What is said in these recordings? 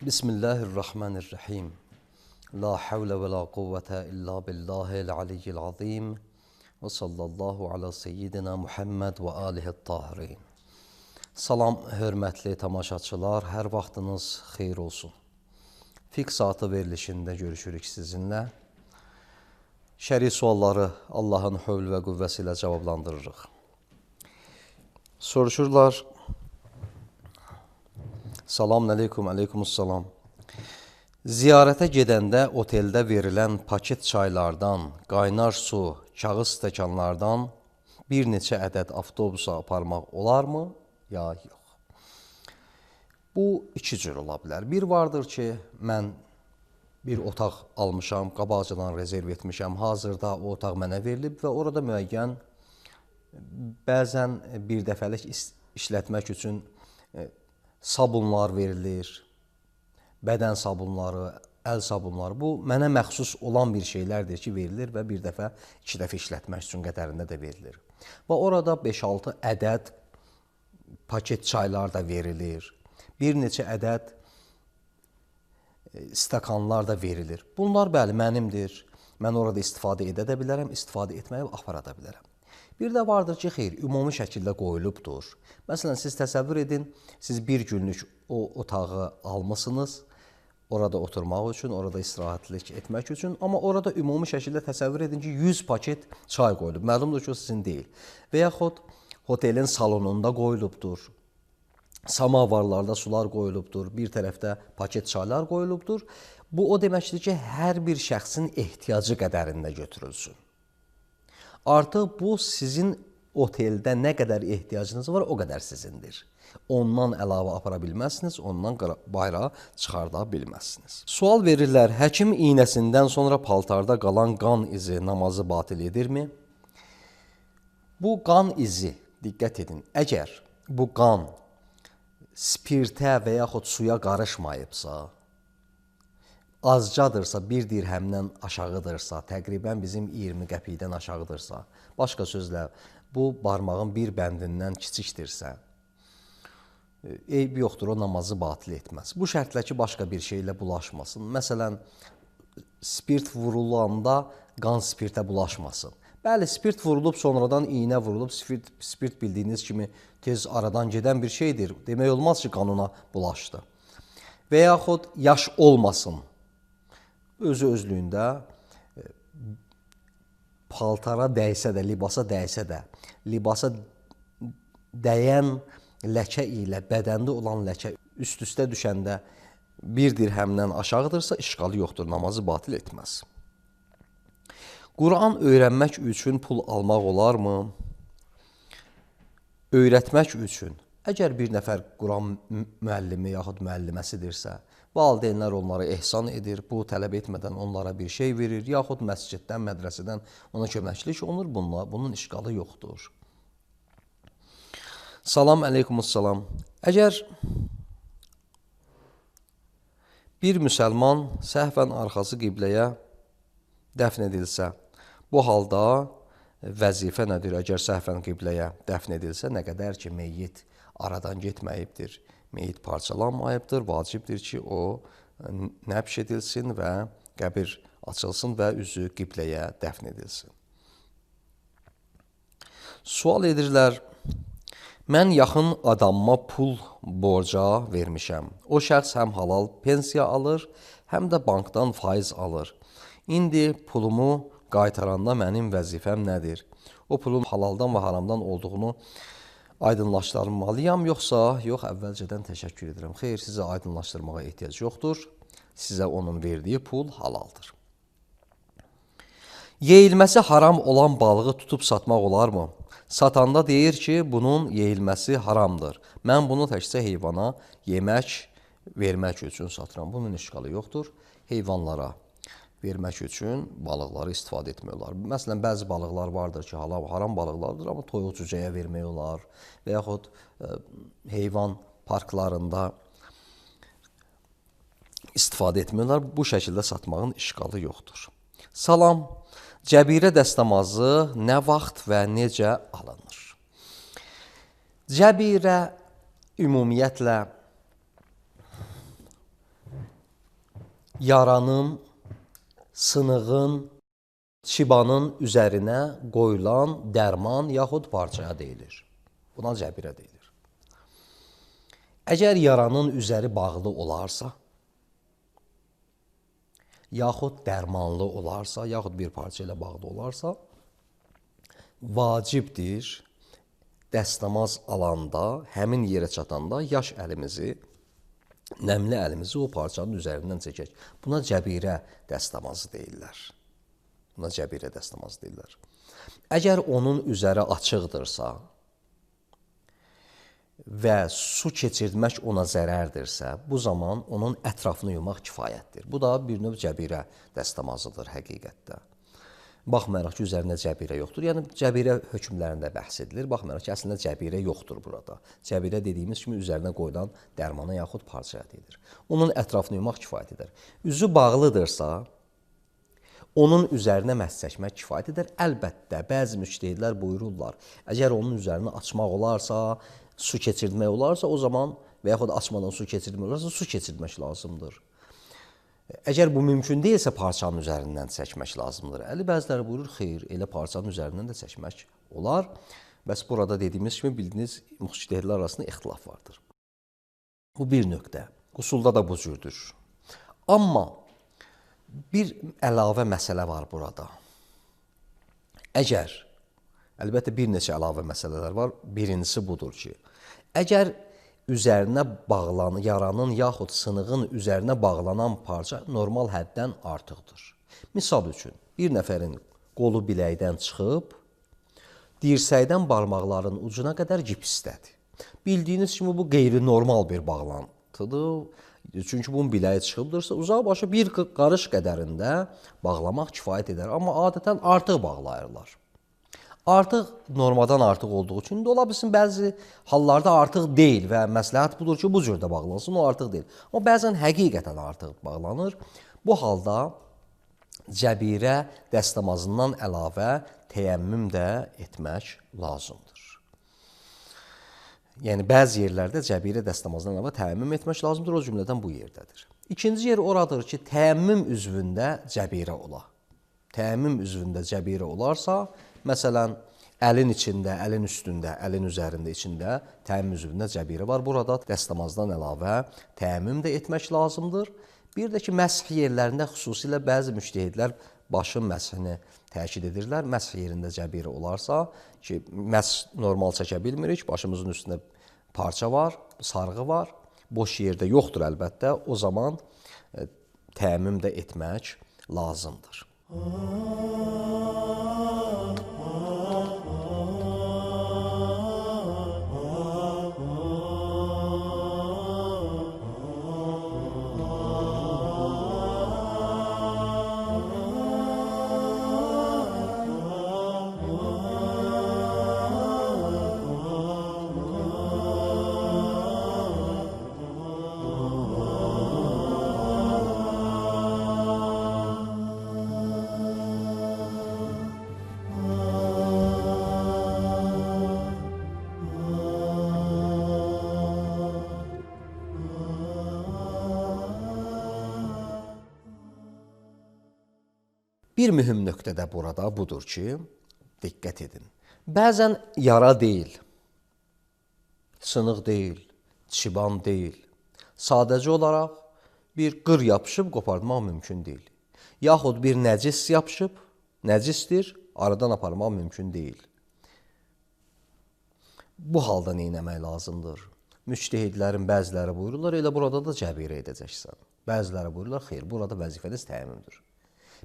Bismillahirrahmanirrahim. La havle ve la kuvvete illa billahil aliyyil azim. Və sallallahu ala seyyidina Muhammed və alihi tahirin. Salam, hörmətli tamaşaçılar, hər vaxtınız xeyir olsun. Fiqh saatı verilişində görüşürük sizinlə. Şəri sualları Allahın hövl və qüvvəsi ilə cavablandırırıq. Soruşurlar. Salam aleykum, aleykumussalam. Ziyarətə gedəndə oteldə verilən paket çaylardan, qaynar su, kağız stəkanlardan bir neçə ədəd avtobusa aparmaq olarmı, ya yox? Bu iki cür ola bilər. Bir vardır ki, mən bir otaq almışam, qabaqcadan rezerv etmişəm, hazırda o otaq mənə verilib və orada müəyyən bəzən bir dəfəlik işlətmək üçün sabunlar verilir, bədən sabunları, əl sabunları. Bu, mənə məxsus olan bir şeylərdir ki, verilir və bir dəfə, iki dəfə işlətmək üçün qədərində də verilir. Və orada 5-6 ədəd paket çaylar da verilir, bir neçə ədəd stəkanlar da verilir. Bunlar, bəli, mənimdir. Mən orada istifadə edə də bilərəm, istifadə etməyə apara da bilərəm. Bir də vardır ki, xeyr, ümumi şəkildə qoyulubdur. Məsələn, siz təsəvvür edin, siz bir günlük o otağı almışsınız, orada oturmaq üçün, orada istirahətlik etmək üçün, amma orada ümumi şəkildə təsəvvür edin ki, 100 paket çay qoyulub. Məlumdur ki, o sizin deyil. Və yaxud otelin salonunda qoyulubdur, samavarlarda sular qoyulubdur, bir tərəfdə paket çaylar qoyulubdur. Bu, o deməkdir ki, hər bir şəxsin ehtiyacı qədərində götürülsün. Artıq bu, sizin oteldə nə qədər ehtiyacınız var, o qədər sizindir. Ondan əlavə apara bilməzsiniz, ondan bayrağa çıxarda bilməzsiniz. Sual verirlər, həkim iynəsindən sonra paltarda qalan qan izi namazı batil edirmi? Bu qan izi, diqqət edin, əgər bu qan spirtə və yaxud suya qarışmayıbsa, azcadırsa, bir dirhəmdən aşağıdırsa, təqribən bizim 20 qəpikdən aşağıdırsa, başqa sözlə, bu barmağın bir bəndindən kiçikdirsə, eyb yoxdur, o namazı batil etməz. Bu şərtlə ki, başqa bir şeylə bulaşmasın. Məsələn, spirt vurulanda qan spirtə bulaşmasın. Bəli, spirt vurulub, sonradan iynə vurulub, spirt bildiyiniz kimi tez aradan gedən bir şeydir. Demək olmaz ki, qanuna bulaşdı. Və yaxud yaş olmasın. Özü-özlüyündə paltara dəysə də, libasa dəysə də, libasa dəyən ləkə ilə bədəndə olan ləkə üst-üstə düşəndə bir dirhəmdən aşağıdırsa, işğalı yoxdur, namazı batil etməz. Quran öyrənmək üçün pul almaq olarmı? Öyrətmək üçün, əgər bir nəfər Quran müəllimi yaxud müəlliməsidirsə, valideynlər onlara ehsan edir, bu tələb etmədən onlara bir şey verir, yaxud məsciddən, mədrəsədən ona köməklik olunur, bunun işğalı yoxdur. Salam aleykumussalam. Əgər bir müsəlman səhvən arxası qibləyə dəfn edilsə, bu halda vəzifə nədir? Əgər səhvən qibləyə dəfn edilsə, nə qədər ki, meyyit aradan getməyibdir, meyyit parçalanmayıbdır, vacibdir ki, o nəbş edilsin və qəbir açılsın və üzü qibləyə dəfn edilsin. Sual edirlər, mən yaxın adamıma pul borca vermişəm. O şəxs həm halal pensiya alır, həm də bankdan faiz alır. İndi pulumu qaytaranda mənim vəzifəm nədir? O pulun halaldan və haramdan olduğunu aydınlaşdırmalıyam, yoxsa yox, əvvəlcədən təşəkkür edirəm. Xeyr, sizə aydınlaşdırmağa ehtiyac yoxdur. Sizə onun verdiyi pul halaldır. Yeyilməsi haram olan balığı tutub satmaq olarmı? Satanda deyir ki, bunun yeyilməsi haramdır. Mən bunu təkcə heyvana yemək, vermək üçün satıram. Bunun işğalı yoxdur. Heyvanlara vermək üçün balıqları istifadə etmək olar. Məsələn, bəzi balıqlar vardır ki, haram balıqlardır, amma toyuq cücəyə vermək olar və yaxud heyvan parklarında istifadə etmək olar. Bu şəkildə satmağın işğalı yoxdur. Salam, cəbirə dəstəmazı nə vaxt və necə alınır? Cəbirə ümumiyyətlə yaranın, sınığın, çibanın üzərinə qoyulan dərman yaxud parçaya deyilir. Buna cəbirə deyilir. Əgər yaranın üzəri bağlı olarsa, yaxud dərmanlı olarsa, yaxud bir parça ilə bağlı olarsa, vacibdir dəstəmaz alanda, həmin yerə çatanda yaş əlimizi, nəmli əlimizi o parçanın üzərindən çəkək. Buna cəbirə dəstəmazı deyirlər. Buna cəbirə dəstəmazı deyirlər. Əgər onun üzəri açıqdırsa və su keçirmək ona zərərdirsə, bu zaman onun ətrafını yumaq kifayətdir. Bu da bir növ cəbirə dəstəmazıdır həqiqətdə. Baxmayaraq ki, üzərində cəbirə yoxdur. Yəni, cəbirə hökmlərində bəhs edilir. Baxmayaraq ki, əslində cəbirə yoxdur burada. Cəbirə dediyimiz kimi üzərinə qoyulan dərmana yaxud parçaya deyilir. Onun ətrafını yumaq kifayət edər. Üzü bağlıdırsa, onun üzərinə məhz çəkmək kifayət edər. Əlbəttə, bəzi müctəhidlər buyururlar, əgər onun üzərini açmaq olarsa, su keçirmək olarsa, o zaman və yaxud açmadan su keçirmək olarsa, su keçirmək lazımdır. Əgər bu mümkün deyilsə, parçanın üzərindən çəkmək lazımdır. Bəziləri buyurur, xeyr, elə parçanın üzərindən də çəkmək olar. Bəs burada dediyimiz kimi, bildiyiniz, müctəhidlər arasında ixtilaf vardır. Bu bir nöqtə. Usulda da bu cürdür. Amma bir əlavə məsələ var burada. Əgər, əlbəttə bir neçə əlavə məsələlər var. Birincisi budur ki, əgər üzərinə bağlanan, yaranın yaxud sınığın üzərinə bağlanan parça normal həddən artıqdır. Misal üçün, bir nəfərin qolu biləkdən çıxıb, dirsəkdən barmaqların ucuna qədər gipsdədir. Bildiyiniz kimi, bu qeyri-normal bir bağlantıdır. Çünki bunun biləyi çıxıbdırsa, uzaq başı bir qarış qədərində bağlamaq kifayət edər. Amma adətən artıq bağlayırlar. Artıq normadan artıq olduğu üçün də ola bilsin, bəzi hallarda artıq deyil və məsləhət budur ki, bu cürdə bağlansın, o artıq deyil. Amma bəzən həqiqətən artıq bağlanır. Bu halda cəbirə dəstəmazından əlavə təyəmmüm də etmək lazımdır. Yəni, bəzi yerlərdə cəbirə dəstəmazından əlavə təyəmmüm etmək lazımdır, o cümlədən bu yerdədir. İkinci yer oradır ki, təyəmmüm üzvündə cəbirə ola. Təyəmmüm üzvündə cəbirə olarsa, məsələn, əlin içində, əlin üstündə, əlin üzərində içində təyəmmüm üzvündə cəbirə var. Burada dəstəmazdan əlavə təyəmmüm də etmək lazımdır. Bir də ki, məsh yerlərində xüsusilə bəzi müctəhidlər başın məshini təkid edirlər. Məsh yerində cəbirə olarsa, ki, məsh normal çəkə bilmirik, başımızın üstündə parça var, sarğı var, boş yerdə yoxdur əlbəttə, o zaman təyəmmüm də etmək lazımdır. Bir mühüm nöqtə də burada budur ki, diqqət edin. Bəzən yara deyil, sınıq deyil, çiban deyil. Sadəcə olaraq bir qır yapışıb qopardmaq mümkün deyil. Yaxud bir nəcis yapışıb, nəcisdir, aradan aparmaq mümkün deyil. Bu halda nə etmək lazımdır? Müctəhidlərin bəziləri buyururlar, elə burada da cəbirə edəcəksən. Bəziləri buyururlar, xeyr, burada vəzifəniz təyəmmümdür.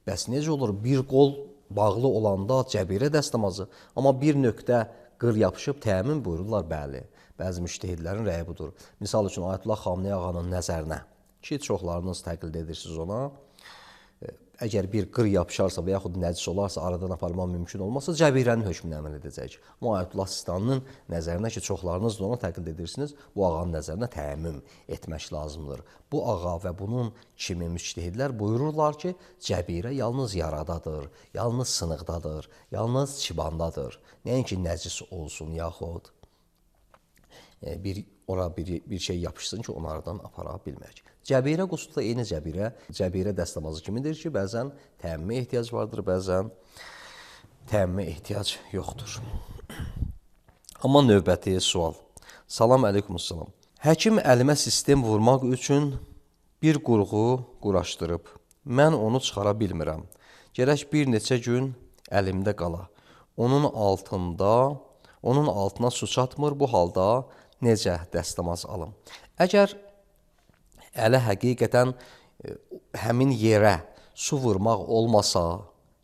Bəs necə olur? Bir qol bağlı olanda cəbirə dəstəmazı, amma bir nöqtə qır yapışıb təyəmmüm buyururlar, bəli. Bəzi müştəhidlərin rəyi budur. Misal üçün, Ayətullah Xamenei ağanın nəzərinə ki, çoxlarınız təqlid edirsiniz ona, əgər bir qır yapışarsa və yaxud nəcis olarsa, aradan aparmaq mümkün olmazsa, cəbirənin hökmünü əməl edəcək. Amma Ayətullah Sistaninin nəzərinə ki, çoxlarınız da ona təqlid edirsiniz, bu ağanın nəzərinə təyəmmüm etmək lazımdır. Bu ağa və bunun kimi müctəhidlər buyururlar ki, cəbirə yalnız yaradadır, yalnız sınıqdadır, yalnız çibandadır. Nəinki nəcis olsun, yaxud bir şey yapışsın ki, onlardan apara bilmək. Cəbirə qusulu da eyni cəbirə dəstəmazı kimidir ki, bəzən təmmə ehtiyac vardır, bəzən təmmə ehtiyac yoxdur. Amma növbəti sual. Salam əleykumussalam. Həkim əlimə sistem vurmaq üçün bir qurğu quraşdırıb. Mən onu çıxara bilmirəm. Gərək bir neçə gün əlimdə qala. Onun altına su çatmır. Bu halda necə dəstəmaz alım? Əgər ələ həqiqətən həmin yerə su vurmaq olmasa,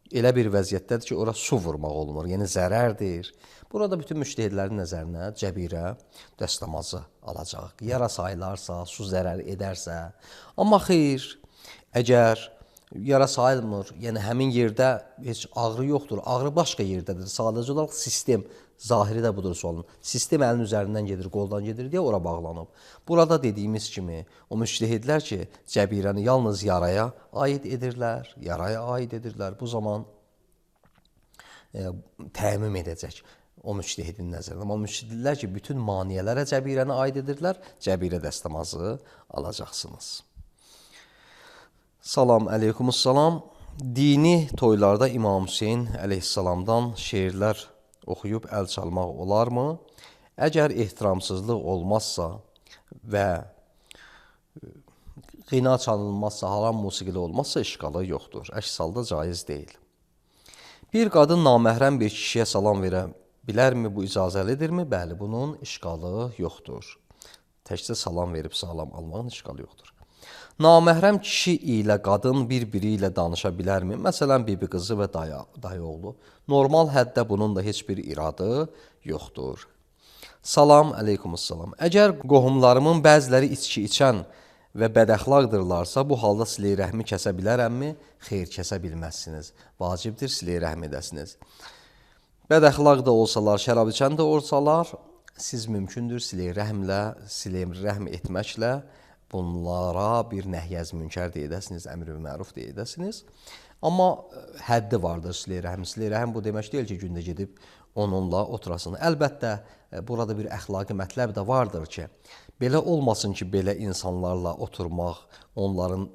elə bir vəziyyətdədir ki, ora su vurmaq olmur, yəni zərərdir. Burada bütün müştəhidlərin nəzərinə cəbirə dəstəmazı alacaq. Yara sayılarsa, su zərər edərsə. Amma xeyr, əgər yara sayılmır, yəni həmin yerdə heç ağrı yoxdur, ağrı başqa yerdədir. Sadəcə olaraq sistem, zahiri də budur sualın. Sistem əlin üzərindən gedir, qoldan gedir deyə ora bağlanıb. Burada dediyimiz kimi, o müştəhidlər ki, cəbirəni yalnız yaraya aid edirlər, Bu zaman təmim edəcək o müştəhidin nəzərində. Amma müştəhidlər ki, bütün maniyələrə cəbirəni aid edirlər, cəbirə dəstəmazı alacaqsınız. Salam əleykumussalam. Dini toylarda İmam Hüseyin əleyhissalamdan şeirlər oxuyub əl çalmaq olarmı? Əgər ehtiramsızlıq olmazsa və qina çalınmazsa, haram musiqili olmazsa işqalı yoxdur. Əks halda caiz deyil. Bir qadın naməhrəm bir kişiyə salam verə bilərmi? Bu icazəlidirmi? Bəli, bunun işqalı yoxdur. Təkcə salam verib salam almağın işqalı yoxdur. Naməhrəm kişi ilə qadın bir-biri ilə danışa bilərmi? Məsələn, bibi qızı və dayı oğlu. Normal həddə bunun da heç bir iradı yoxdur. Salam əleykumussalam. Əgər qohumlarımın bəziləri içki içən və bədəxlaqdırlarsa, bu halda silə-i rəhmi kəsə bilərəmmi? Xeyr, kəsə bilməzsiniz. Vacibdir silə-i rəhm edəsiniz. Bədəxlaq da olsalar, şərab içən də olsalar, siz mümkündür silə-i rəhm etməklə bunlara bir nəhyəz münkər deyədəsiniz, əmr-i məruf deyədəsiniz. Amma həddi vardır silə-i rəhm. Silə-i rəhm bu demək deyil ki, gündə gedib onunla oturasın. Əlbəttə, burada bir əxlaqi mətləb də vardır ki, belə olmasın ki, belə insanlarla oturmaq, onların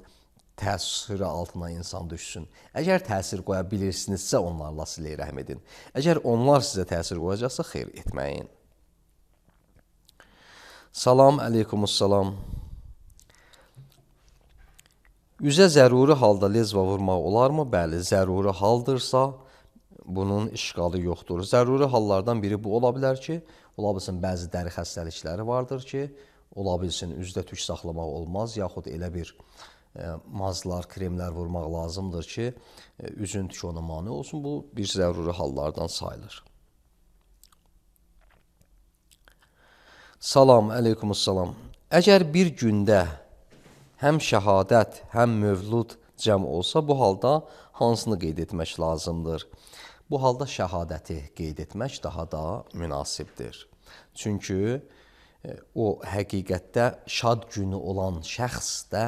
təsiri altına insan düşsün. Əgər təsir qoya bilirsinizsə, onlarla silə-i rəhm edin. Əgər onlar sizə təsir qoyacaqsa, xeyr etməyin. Salam əleykumussalam. Üzə zəruri halda lezva vurmaq olarmı? Bəli, zəruri haldırsa, bunun işqalı yoxdur. Zəruri hallardan biri bu ola bilər ki, ola bilsin bəzi dəri xəstəlikləri vardır ki, ola bilsin üzdə tük saxlamaq olmaz, yaxud elə bir mazlar, kremlər vurmaq lazımdır ki, üzün tükü ona mane olsun. Bu bir zəruri hallardan sayılır. Salam əleykumussalam. Əgər bir gündə həm şəhadət, həm mövlud cəm olsa, bu halda hansını qeyd etmək lazımdır? Bu halda şəhadəti qeyd etmək daha da münasibdir. Çünki o həqiqətdə şad günü olan şəxs də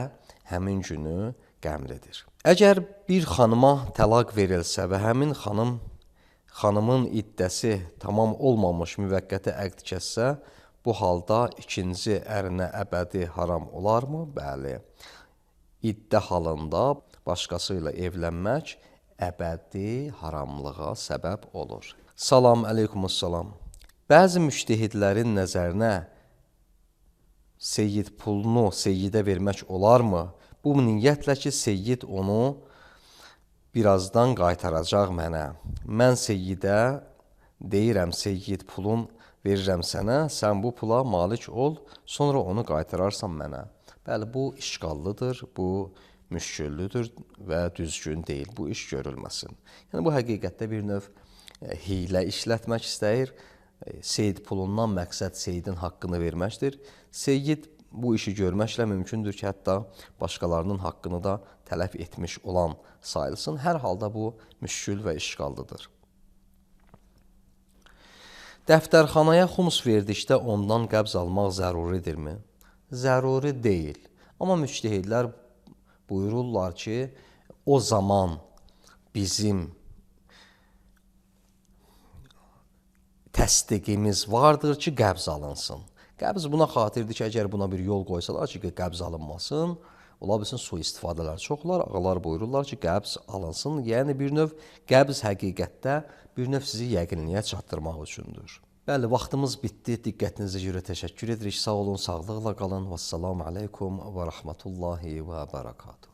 həmin günü qəmlidir. Əgər bir xanıma təlaq verilsə və həmin xanımın iddəsi tamam olmamış müvəqqəti əqd kəssə, bu halda ikinci ərinə əbədi haram olarmı? Bəli. İddə halında başqası ilə evlənmək əbədi haramlığa səbəb olur. Salam əleykumussalam. Bəzi müştəhidlərin nəzərinə seyyid pulunu seyyidə vermək olarmı? Bu niyyətlə ki, seyyid onu birazdan qaytaracaq mənə. Mən seyyidə deyirəm, seyyid pulun verirəm sənə, sən bu pula malik ol, sonra onu qaytararsan mənə. Bəli, bu işqallıdır, bu müşküllüdür və düzgün deyil. Bu iş görülməsin. Yəni, bu həqiqətdə bir növ hiylə işlətmək istəyir. Seyyid pulundan məqsəd seyyidin haqqını verməkdir. Seyyid bu işi görməklə mümkündür ki, hətta başqalarının haqqını da tələf etmiş olan sayılsın. Hər halda bu müşkül və işqallıdır. Dəftərxanaya xums verdikdə ondan qəbz almaq zəruridirmi? Zəruri deyil. Amma müştəhidlər buyururlar ki, o zaman bizim təsdiqimiz vardır ki, qəbz alınsın. Qəbz buna xatirdir ki, əgər buna bir yol qoysalar ki, qəbz alınmasın, ola bilsin sui-istifadələr çox olar. Ağalar buyururlar ki, qəbz alınsın. Yəni bir növ qəbz həqiqətdə bir növ sizi yəqinliyə çatdırmaq üçündür. Bəli, vaxtımız bitdi. Diqqətinizə görə təşəkkür edirik. Sağ olun, sağlıqla qalın. Vəssalamu aleykum və rəhmətullahi və bərəkatuhu.